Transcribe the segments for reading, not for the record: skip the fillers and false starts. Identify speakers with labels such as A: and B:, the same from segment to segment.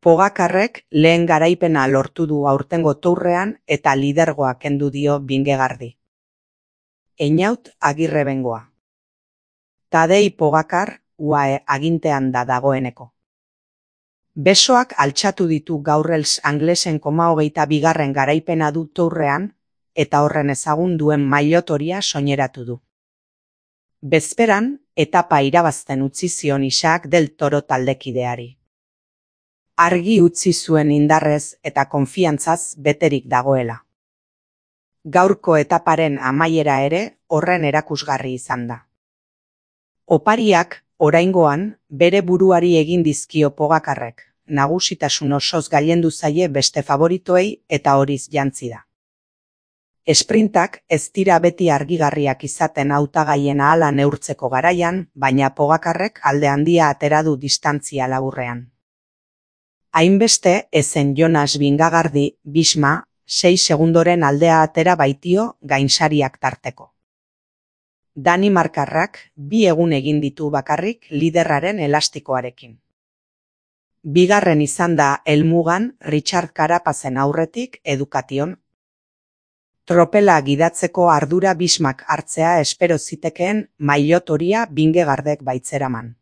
A: Pogakarrek lehen garaipena lortu du aurtengo tourrean eta lidergoa kendu dio Vingegaardi. Einaut Agirre Bengoa. Tadej Pogacar UAE agintean da dagoeneko. Besoak altxatu ditu gaur Els Anglesen 22. garaipena du tourrean eta horren ezagun duen mailotoria soineratu du. Bezperan, etapa irabazten utzi zion Isaac del Toro taldekideari. Argi utzi zuen indarrez eta konfiantzaz beterik dagoela. Gaurko etaparen amaiera ere horren erakusgarri izan da. Opariak, oraingoan, bere buruari egin dizkio Pogakarrek, nagusitasun osoz gailendu zaie beste favoritoei eta horiz jantzi da. Esprintak ez dira beti argigarriak izaten hautagaien ahala neurtzeko garaian, baina Pogakarrek alde handia atera du distantzia laburrean. Hainbeste ezen Jonas Vingegaardi Bisma 6 segundoren aldea atera baitio gainsariak tarteko. Danimarkarrak 2 egun egin ditu bakarrik liderraren elastikoarekin. Bigarren izan da helmugan Richard Carapazen aurretik Education. Tropela gidatzeko ardura Bismak hartzea espero zitekeen mailotoria Vingegaardek baitzeraman.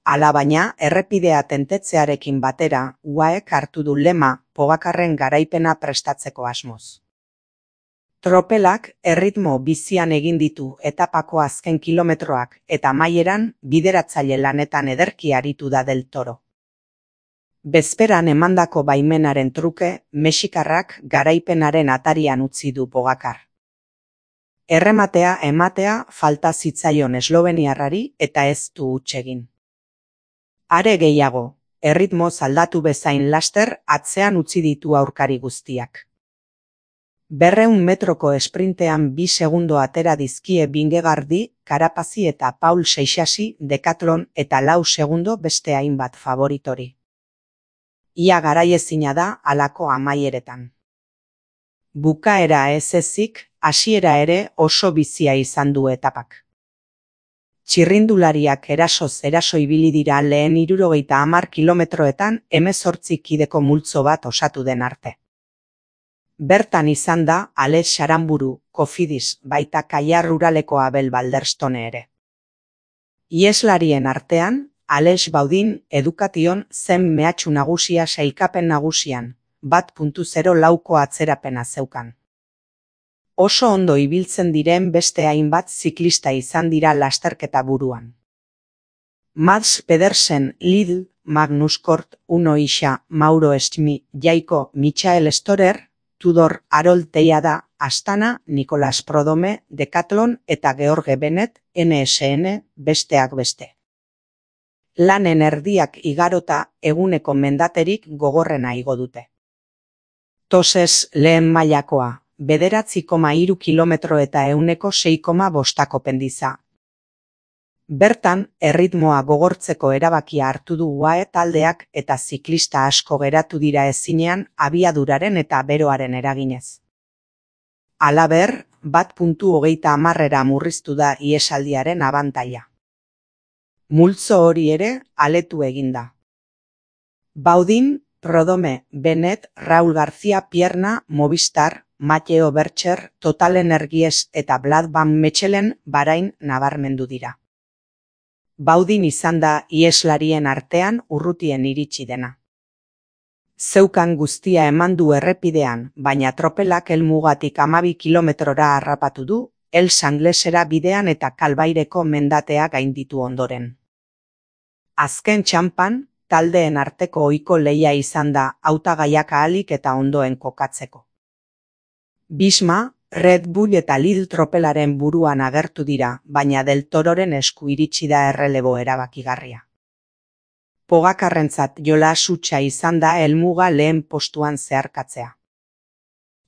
A: Alabaina, errepidea tentetzearekin batera, UAEk hartu du lema Pogakarren garaipena prestatzeko asmoz. Tropelak erritmo bizian egin ditu etapako azken kilometroak eta amaieran bideratzaile lanetan ederki aritu da Del Toro. Bezperan emandako baimenaren truke, mexikarrak garaipenaren atarian utzi du Pogacar. Errematea ematea falta zitzaion esloveniarrari eta ez du huts egin. Are gehiago, erritmoz aldatu bezain laster atzean utzi ditu aurkari guztiak. 200 metroko esprintean 2 segundo atera dizkie Vingegaardi, Carapazi eta Paul Seixasi Decathlon eta 4 segundo beste hainbat favoritori. Ia garaiezina da halako amaieretan. Bukaera ez ezik, hasiera ere oso bizia izan du etapak. Txirrindulariak erasoz eraso ibili dira lehen 70 kilometroetan 18 kideko multzo bat osatu den arte. Bertan izan da Alex Saramburu, Cofidis, baita Kaia Ruraleko Abel Balderstone ere. Ieslarien artean, Alex Baudin Education zen mehatxu nagusia sailkapen nagusian, 1.0 lauko atzerapena zeukan. Oso ondo ibiltzen diren beste hainbat ziklista izan dira lasterketa buruan. Mads Pedersen Lidl, Magnus Kort, Uno Isha, Mauro Schmi, Jaiko, Michael Storer, Tudor Harold Teiada, Astana, Nicolas Prodome, Decathlon eta George Bennett, NSN, besteak beste. Lanen erdiak igarota eguneko mendaterik gogorrena igo dute. Toses lehen mailakoa, 9,3 kilometro eta 6,5 pendiza. Bertan, erritmoa gogortzeko erabakia hartu du UAE taldeak eta ziklista asko geratu dira ezinean abiaduraren eta beroaren eraginez. Halaber, 1.30 murriztu da iesaldiaren abantaila. Multzo hori ere aletu eginda. Baudin, Prodome, Bennett, Raúl García Pierna, Movistar, Mateo Bercher, Total Energies eta Vlad Van Mechelen Bahrain nabarmendu dira. Baudin izan da ieslarien artean urrutien iritsi dena. Zeukan guztia eman du errepidean, baina tropelak helmugatik 12 kilometrora harrapatu du, Els Anglesera bidean eta Kalbaireko mendatea gainditu ondoren. Azken txanpan, taldeen arteko ohiko lehia izan da hautagaiak ahalik eta ondoen kokatzeko. Bisma, Red Bull eta Lidl tropelaren buruan agertu dira, baina Del Tororen esku iritsi da errelebo erabakigarria. Pogakarrentzat jolas hutsa izan da helmuga lehen postuan zeharkatzea.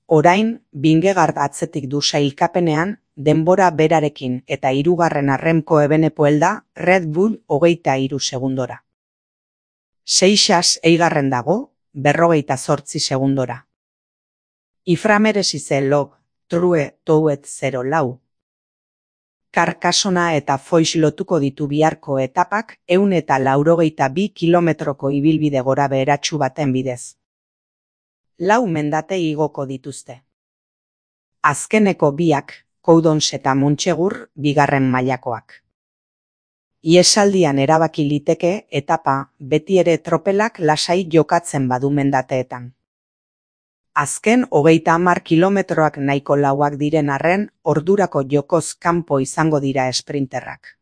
A: Orain, Vingegaard atzetik du sailkapenean, denbora berarekin eta 3. Remco Evenepoel da Red Bull 23 segundora. Seixas eigarren dago, 58 segundora. Iframeresize log, true touet 0 lau. Karkasona eta Foix lotuko ditu biharko etapak 182 kilometroko ibilbide gora beheratsu baten bidez. 4 mendate igoko dituzte. Azkeneko biak, Coudons eta Montsegur, bigarren mailakoak. Iesaldian erabaki liteke etapa beti ere tropelak lasai jokatzen badu mendateetan. Azken 30 kilometroak nahiko lauak diren arren, ordurako jokoz kanpo izango dira esprinterrak.